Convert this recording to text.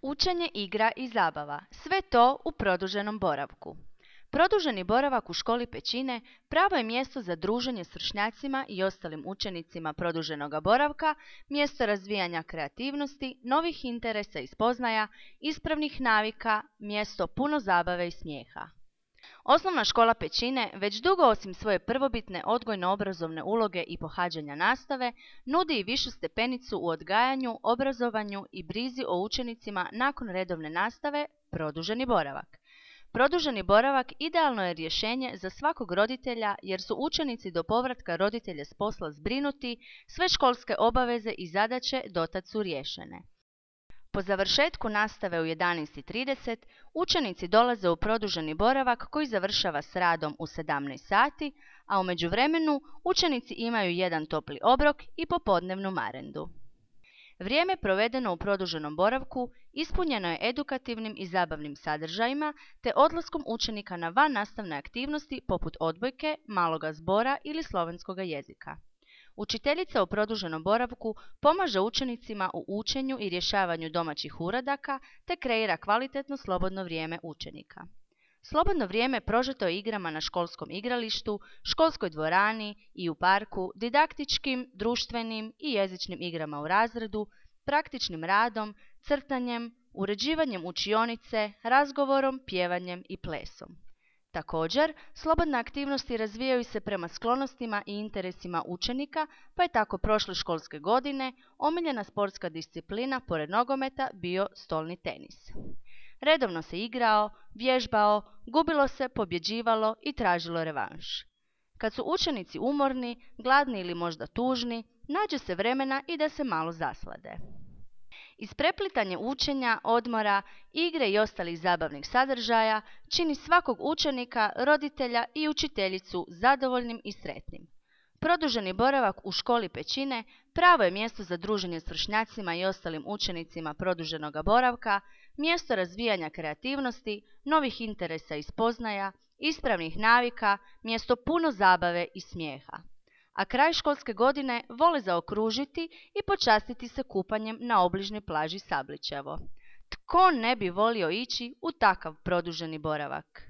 Učenje, igra i zabava, sve to u produženom boravku. Produženi boravak u školi Pećine pravo je mjesto za druženje s vršnjacima i ostalim učenicima produženog boravka, mjesto razvijanja kreativnosti, novih interesa i spoznaja, ispravnih navika, mjesto puno zabave i smijeha. Osnovna škola Pećine već dugo osim svoje prvobitne odgojno-obrazovne uloge i pohađanja nastave, nudi i višu stepenicu u odgajanju, obrazovanju i brizi o učenicima nakon redovne nastave, produženi boravak. Produženi boravak idealno je rješenje za svakog roditelja jer su učenici do povratka roditelja s posla zbrinuti, sve školske obaveze i zadaće dotad su riješene. Po završetku nastave u 11:30 učenici dolaze u produženi boravak koji završava s radom u 17 sati, a u međuvremenu učenici imaju jedan topli obrok i popodnevnu marendu. Vrijeme provedeno u produženom boravku ispunjeno je edukativnim i zabavnim sadržajima te odlaskom učenika na vannastavne aktivnosti poput odbojke, maloga zbora ili slovenskoga jezika. Učiteljica u produženom boravku pomaže učenicima u učenju i rješavanju domaćih uradaka te kreira kvalitetno slobodno vrijeme učenika. Slobodno vrijeme prožeto je igrama na školskom igralištu, školskoj dvorani i u parku, didaktičkim, društvenim i jezičnim igrama u razredu, praktičnim radom, crtanjem, uređivanjem učionice, razgovorom, pjevanjem i plesom. Također, slobodne aktivnosti razvijaju se prema sklonostima i interesima učenika, pa je tako prošle školske godine omiljena sportska disciplina pored nogometa bio stolni tenis. Redovno se igrao, vježbao, gubilo se, pobjeđivalo i tražilo revanš. Kad su učenici umorni, gladni ili možda tužni, nađe se vremena i da se malo zaslade. Ispreplitanje učenja, odmora, igre i ostalih zabavnih sadržaja čini svakog učenika, roditelja i učiteljicu zadovoljnim i sretnim. Produženi boravak u školi Pećine pravo je mjesto za druženje s vršnjacima i ostalim učenicima produženog boravka, mjesto razvijanja kreativnosti, novih interesa i spoznaja, ispravnih navika, mjesto puno zabave i smijeha. A kraj školske godine vole zaokružiti i počastiti se kupanjem na obližnjoj plaži Sablićevo. Tko ne bi volio ići u takav produženi boravak?